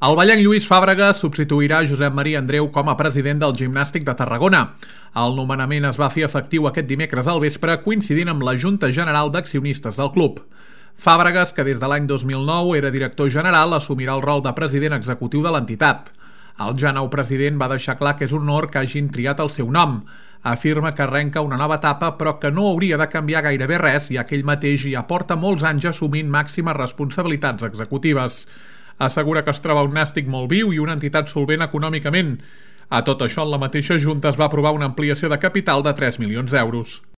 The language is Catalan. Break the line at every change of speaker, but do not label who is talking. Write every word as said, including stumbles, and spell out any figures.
El vallenc Lluís Fàbregas substituirà Josep Maria Andreu com a president del Gimnàstic de Tarragona. El nomenament es va fer efectiu aquest dimecres al vespre, coincidint amb la Junta General d'Accionistes del club. Fàbregas, que des de l'any dos mil nou era director general, assumirà el rol de president executiu de l'entitat. El ja nou president va deixar clar que és un honor que hagin triat el seu nom. Afirma que arrenca una nova etapa, però que no hauria de canviar gairebé res, ja que ell mateix ja porta molts anys assumint màximes responsabilitats executives. Assegura que es troba un nàstic molt viu i una entitat solvent econòmicament. A tot això, en la mateixa Junta es va aprovar una ampliació de capital de tres milions d'euros.